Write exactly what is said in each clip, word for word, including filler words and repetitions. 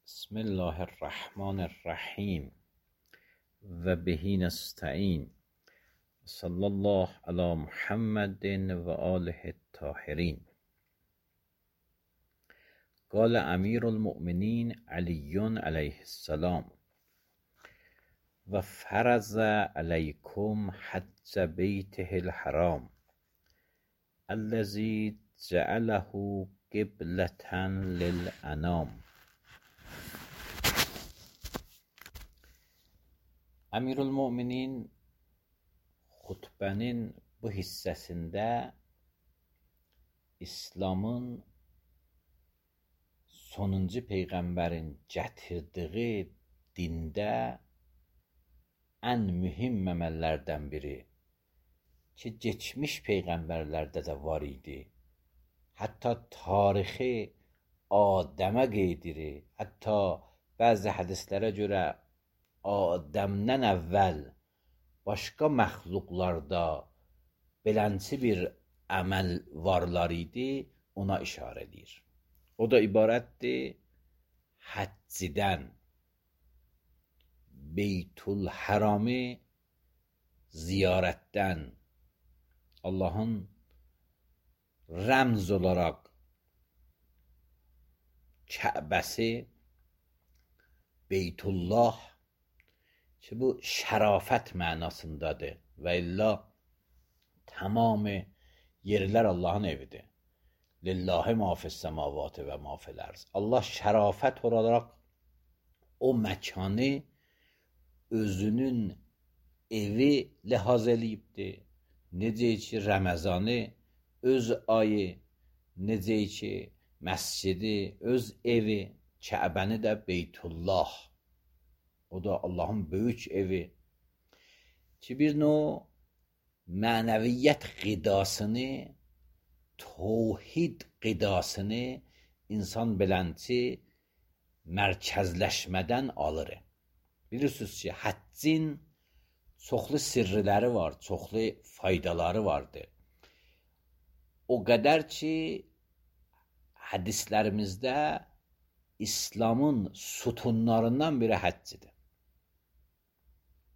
بسم الله الرحمن الرحیم و بهی نستعین صلی الله علی محمد و آله الطاهرین. قال امیر المؤمنین علی علیه السلام و فرض علیکم حج بیته الحرام الذی جعله قبلة للانام. Əmirül-Möminin xutbənin bu hissəsində İslamın sonuncu peyğəmbərin gətirdiyi dində ən mühüm əməllərdən biri ki, keçmiş peyğəmbərlərdə də var idi. Hətta tarixi Adəmə qeyd edir. Hətta bəzi hədislərə görə Adəmdən əvvəl başqa məxluqlarda belənçi bir əməl varlar idi, ona işarə edir. O da ibarətdir həccidən, Beytul Hərami ziyarətdən, Allahın rəmz olaraq Kəbəsi Beytullah ki, bu şərafət mənasındadır və illa tamamı yerlər Allahın evidir. Lillahi ma fis-semavati və ma fil-ərz. Allah şərafət olaraq o məkanı özünün evi ləhaz eləyibdir. Necə ki, Ramazanı öz ayı, necə ki, məscidi öz evi, Kəbəni də Beytullah. O da Allahın böyük evi ki, bir növ mənəviyyət qidasını, tövhid qidasını insan belənçi mərkəzləşmədən alır. Bilirsiniz ki, həccin çoxlu sirriləri var, çoxlu faydaları vardır. O qədər ki, hədislərimizdə İslamın sütunlarından biri həccidir.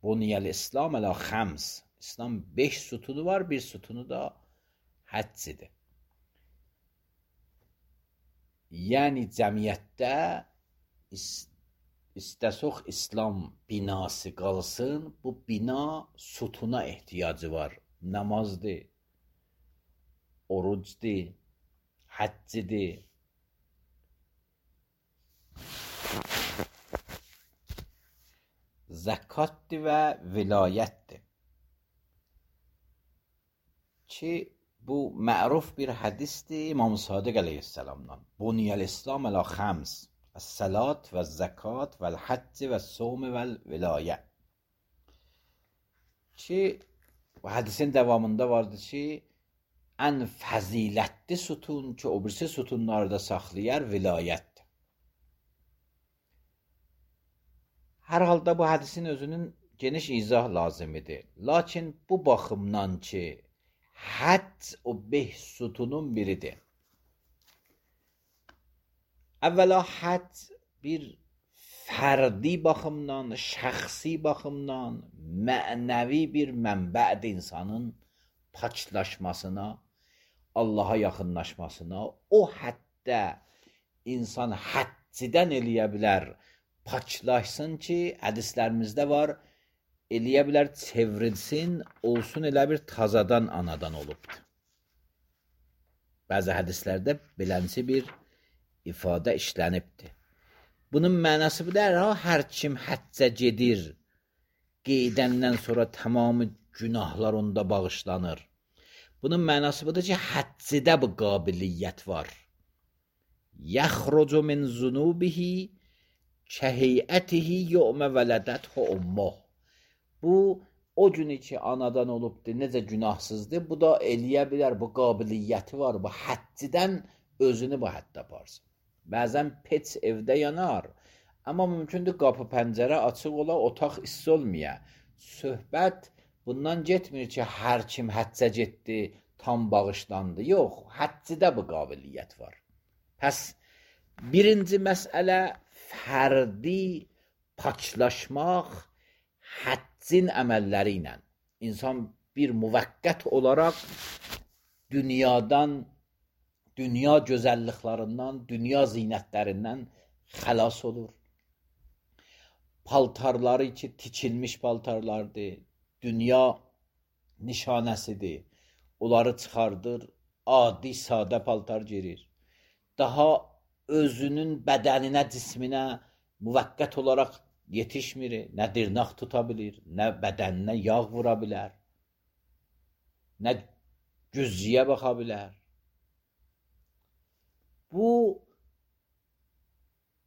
Buniyəl İslam ələ xəms. İslam beş sütunu var, bir sütunu da həccidir. Yəni cəmiyyətdə istəsək İslam binası qalsın, bu bina sütuna ehtiyacı var. Namazdır, orucdur, həccidir. Zəkatdır və vilayətdir ki, bu məruf bir hədisdir İmam Sadiq əleyhissalamdan. Buniyəl İslam ələ xəms, əs-səlat və zəkat və l-həcc və s-sövm və l-vilayə ki, bu hədisin davamında vardır ki, ən fəzilətli sütun ki, o birisi sütunları da saxlayar vilayətdir. Hər halda bu hədisin özünün geniş izah lazimidir. Lakin bu baxımdan ki, həcc o beş sütunun biridir. Əvvəla həcc bir fərdi baxımdan, şəxsi baxımdan, mənəvi bir mənbədir insanın paklaşmasına, Allaha yaxınlaşmasına. O həddə insan həccidən eləyə bilər, paklaşsın ki, hədislərimizdə var, eləyə bilər, çevrilsin, olsun elə bir tazadan anadan olubdur. Bəzi hədislərdə belənçi bir ifadə işlənibdir. Bunun mənası bu deyir, ha, hər kim həccə gedir, qeydəndən sonra tamamı günahlar onda bağışlanır. Bunun mənası budur ki, həccidə bu qabiliyyət var. Yəxrucu min zunubihi kəheyətihi yevmə vələdəthu ummuh. Bu, o günü ki, anadan olubdur, necə günahsızdır, bu da eləyə bilər, bu qabiliyyəti var, bu həccidən özünü bu həddə aparsın. Bəzən peç evdə yanar, amma mümkündür qapı pəncərə açıq ola, otaq isti olmaya. Söhbət bundan getmir ki, hər kim həccə getdi, tam bağışlandı. Yox, həccidə bu qabiliyyət var. Pəs, birinci məsələ fərdi paçlaşmaq həccin əməlləri ilə. İnsan bir müvəqqət olaraq dünyadan, dünya gözəlliklərindən, dünya zinətlərindən xəlas olur. Paltarları ki, tikilmiş paltarlardır, dünya nişanəsidir. Onları çıxardır, adi, sadə paltar girir. Daha özünün bədəninə, cisminə müvəqqət olaraq yetişmir, nə dırnaq tuta bilir, nə bədəninə yağ vura bilər, nə güzciyə baxa bilər. Bu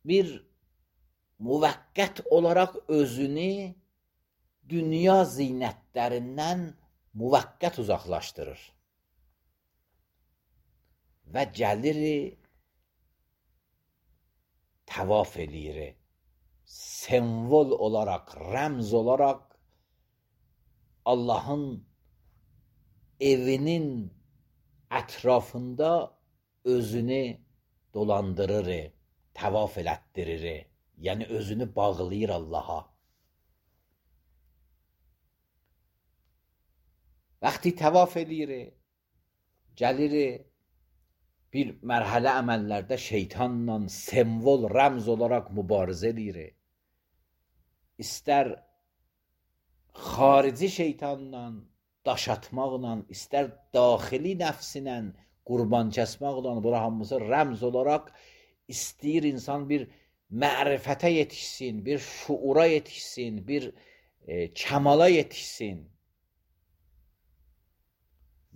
bir müvəqqət olaraq özünü dünya zinətlərindən müvəqqət uzaqlaşdırır və gəlir təvaf eləyir. Semvol olaraq, rəmz olaraq Allahın evinin ətrafında özünü dolandırır, təvaf elətdirir. Yəni özünü bağlayır Allaha. Vaxtı təvaf eləyir, gəlir bir mərhələ əməllərdə şeytanla semvol, rəmz olaraq mübarizə eləyir. İstər xarici şeytanla, daş atmaqla, istər daxili nəfsinlə, qurban kəsmaqla, bura hamısı rəmz olaraq istəyir insan bir mərifətə yetişsin, bir şuura yetişsin, bir e, kəmala yetişsin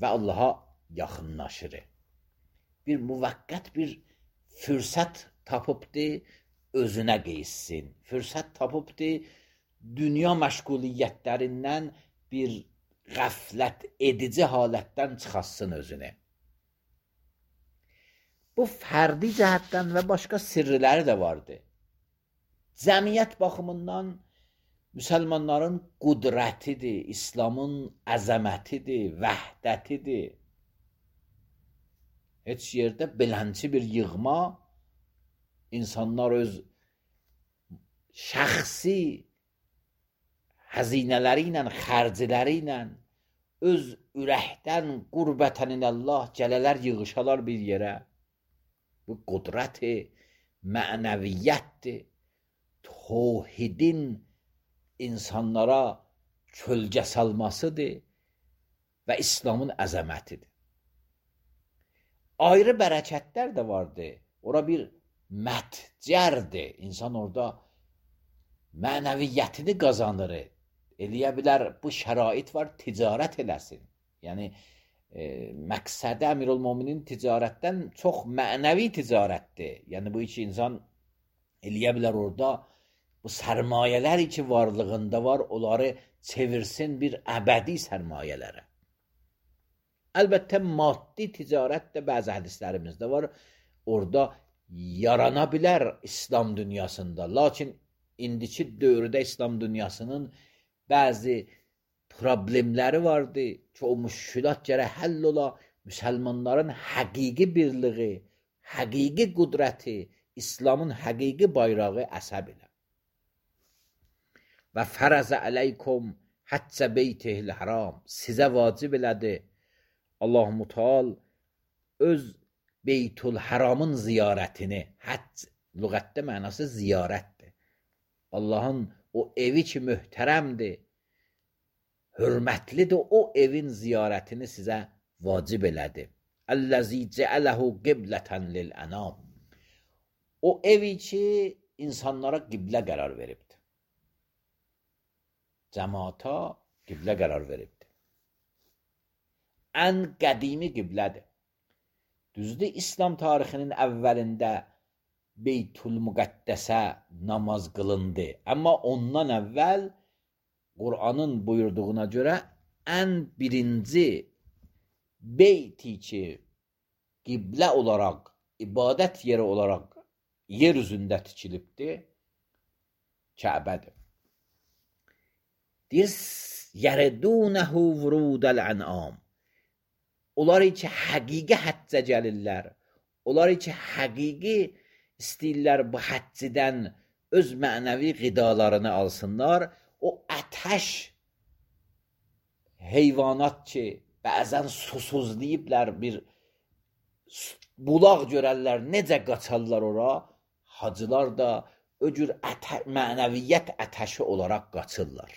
və Allaha yaxınlaşır. Bir müvəqqət bir fürsət tapıbdır, özünə qeyssin. Fürsət tapıbdır, dünya məşğuliyyətlərindən bir qəflət edici halətdən çıxasın özünü. Bu fərdi cəhətdən və başqa sirriləri də vardır. Cəmiyyət baxımından müsəlmanların qudrətidir, İslamın əzəmətidir, vəhdətidir. Heç yerdə belənçi bir yığma, insanlar öz şəxsi həzinələri ilə, xərciləri ilə, öz ürəkdən qurbətəninəllah gələlər, yığışalar bir yerə. Bu qudrəti, mənəviyyətdir, tövhidin insanlara kölgə salmasıdır və İslamın əzəmətidir. Ayrı bərəkətlər də vardır. Ora bir mətcərdir. İnsan orada mənəviyyətini qazanır. Eləyə bilər, bu şərait var, ticarət eləsin. Yəni, e, məqsədi Əmirülmöminin ticarətdən çox mənəvi ticarətdir. Yəni, bu iki insan eləyə bilər orada bu sərmayələr ki varlığında var, onları çevirsin bir əbədi sərmayələrə. Əlbəttə, maddi ticarət də bəzi hədislərimizdə var. Orada yarana bilər İslam dünyasında. Lakin indiki dövrdə İslam dünyasının bəzi problemləri vardı ki, o müşkülat gərək həll ola, müsəlmanların həqiqi birliği, həqiqi qudrəti, İslamın həqiqi bayrağı əsəb ilə. Və fərəzə əleykum həccə beytihil haram, sizə vacib elədi Allah-u Teala öz Beytül Haramın ziyarətini, həcc lüğətdə mənası ziyarətdir. Allahın o evi ki möhtərəmdir, hörmətlidir, o evin ziyarətini sizə vacib elədi. Əlləzi cəələhu qiblətən lil-ənam. O evi ki insanlara qiblə qərar veribdir. Cəmaata qiblə qərar veribdir. Ən qədimi qiblədir. Düzdür, İslam tarixinin əvvəlində Beytül Müqəddəsə namaz qılındı. Amma ondan əvvəl Qur'anın buyurduğuna görə ən birinci beyti ki qiblə olaraq, ibadət yeri olaraq yer üzündə tikilibdir, Kəbədir. Deyir, yəridunəhu vurudəl-ənam. Onlar ki həqiqi həccə gəlirlər, onlar ki həqiqi istəyirlər bu həccidən öz mənəvi qidalarını alsınlar. O ətəş heyvanat ki, bəzən susuzlayıblar, bir bulaq görərlər, necə qaçarlar ora, hacılar da o cür ətə, mənəviyyət ətəşi olaraq qaçırlar.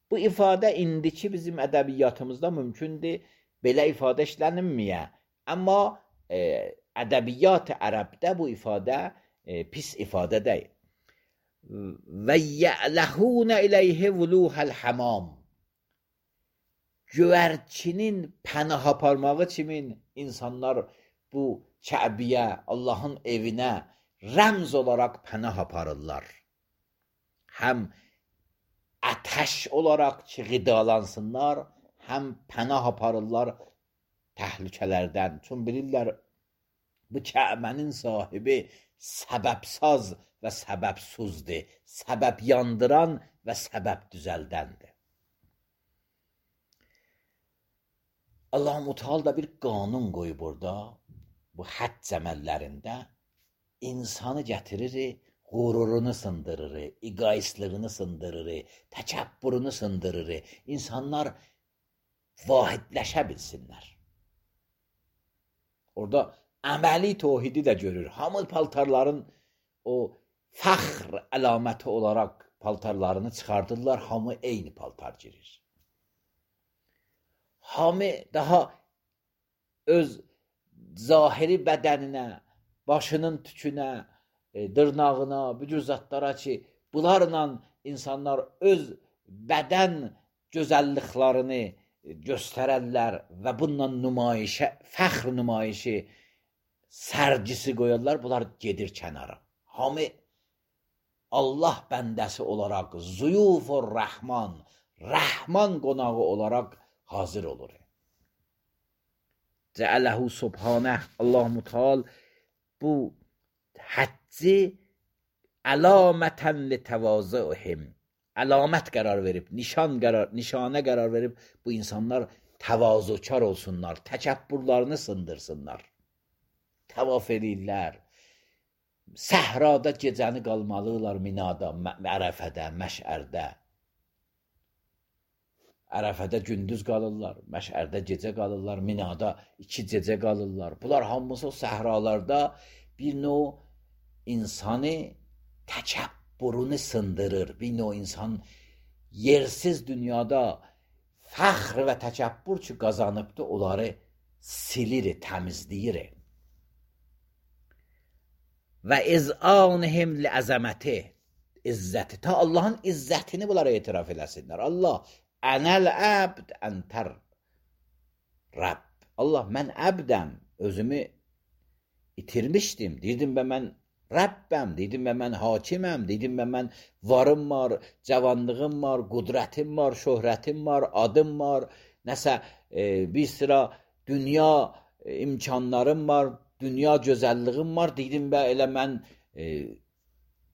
Bu ifadə indiki bizim ədəbiyyatımızda mümkündür, belə ifadə işlənilməyə. Amma e, ədəbiyyat-ı ərəbdə bu ifadə e, pis ifadə deyil. Və yələhunə iləyhi vuluhəl həmam. Göyərçinin pənah aparmağı kimin insanlar bu Kəbiyə, Allahın evinə rəmz olaraq pənah aparırlar. Həm ətəş olaraq ki, qidalansınlar, həm pənah aparırlar təhlükələrdən. Çün bilirlər, bu Kəbənin sahibi səbəbsaz və səbəbsuzdur. Səbəb yandıran və səbəb düzəldəndir. Allah-u Teala da bir qanun qoyub orada, bu həcc əməllərində insanı gətirir, qururunu sındırır, egoistlığını sındırır, təkəbbürünü sındırır. İnsanlar vahidləşə bilsinlər. Orada əməli tövhidi də görür. Hamı paltarların o fəxr əlaməti olaraq paltarlarını çıxardırlar, hamı eyni paltar girir. Hamı daha öz zahiri bədəninə, başının tükünə, e, dırnağına, bu cür zatlara ki, bunlarla insanlar öz bədən gözəlliklərini göstərərlər və bununla nümayişə, fəxr nümayişi, sərgisi qoyarlar, bunlar gedir kənara. Hamı Allah bəndəsi olaraq, zuyufur rəhman, rəhman qonağı olaraq hazır olur. Cəələhu subhanəh, Allah-u Teala bu həcci əlamətən li təvazühüm, əlamət qərar verib, nişan qərar, nişanə qərar verib, bu insanlar təvazükar olsunlar, təkəbbürlərini sındırsınlar, təvaf edirlər, səhrada gecəni qalmalılar, minada, ərəfədə, məşərdə. Ərəfədə gündüz qalırlar, məşərdə gecə qalırlar, minada iki gecə qalırlar. Bunlar hamısı o səhralarda bir növ insanı təkəbbürünü sındırır. Bir növ insan yersiz dünyada fəxr və təkəbbür ki qazanıbdır, onları silir, təmizləyir. Və iz'anihim li əzəməti, izzəti, ta Allahın izzətini bunlara etiraf eləsinlər. Allah, ənəl əbd əntər Rəbb. Allah, mən əbdəm, özümü itirmişdim. Deyirdim və mən Rəbbəm, deyirdim və mən hakiməm, deyirdim və mən varım var, cavanlığım var, qudrətim var, şöhrətim var, adım var, nəsə e, bir sıra dünya e, imkanlarım var, dünya gözəlliyim var, deyirdim və elə mən e,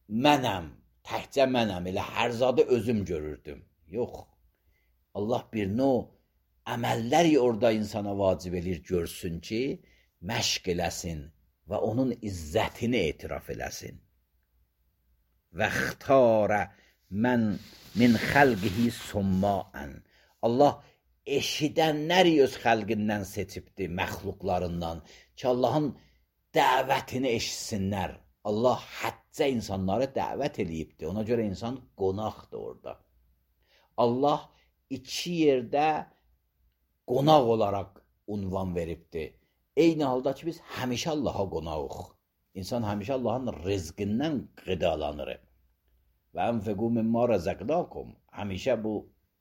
mənəm, təkcə mənəm, elə hər zadı özüm görürdüm. Yox. Allah bir növ əməlləri orada insana vacib edir, görsün ki, məşq eləsin və onun izzətini etiraf eləsin. Və xtarə mən min xəlqihi summaən. Allah eşidənləri öz xəlqindən seçibdir, məxluqlarından ki, Allahın dəvətini eşitsinlər. Allah həccə insanları dəvət eləyibdir. Ona görə insan qonaqdır orada. Allah iki yerdə qonaq olaraq unvan veribdir. Eyni halda ki, biz həmişə Allaha qonağıq. İnsan həmişə Allahın rizqindən qidalanır. Və ənfiqu mimma rəzəqnakum. Həmişə bu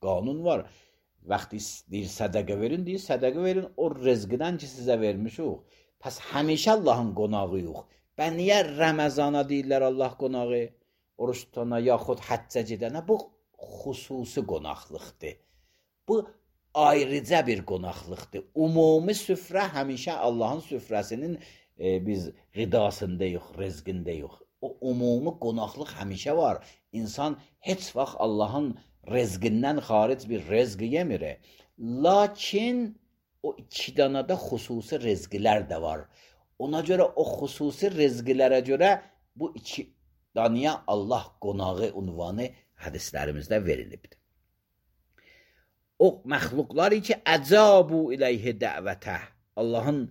qanun var. Vaxtı deyir, sədəqə verin, deyir, sədəqə verin o rizqidən ki, sizə vermişik. Pəs həmişə Allahın qonağıyıq. Bə niyə Rəməzana deyirlər Allah qonağı? Oruç tutana, yaxud həccə gedənə? Bu xüsusi qonaqlıqdır. Bu ayrıca bir qonaqlıqdır. Ümumi süfrə həmişə Allahın süfrəsinin e, biz qidasındayıq, rizqindəyik. O ümumi qonaqlıq həmişə var. İnsan heç vaxt Allahın rizqindən xaric bir rizq yemir. Lakin o iki danada xüsusi rizqlər də var. Ona görə o xüsusi rizqlərə görə bu iki daniya Allah qonağı unvanı hədislərimizdə verilibdir. O məxluqlar ki, əcabu iləyhi dəvətə, Allahın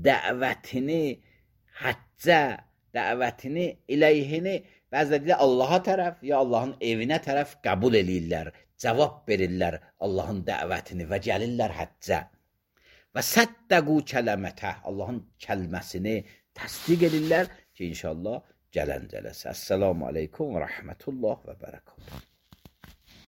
dəvətini, həccə, dəvətini, iləyhini, bəziləri Allaha tərəf, ya Allahın evinə tərəf qəbul eləyirlər, cavab verirlər Allahın dəvətini və gəlirlər həccə. Və səddəqu kələmətə, Allahın kəlməsini təsdiq edirlər ki, inşallah gələn cələsə. Əssəlamu aleykum və rəhmətullah və bərəkatuhu.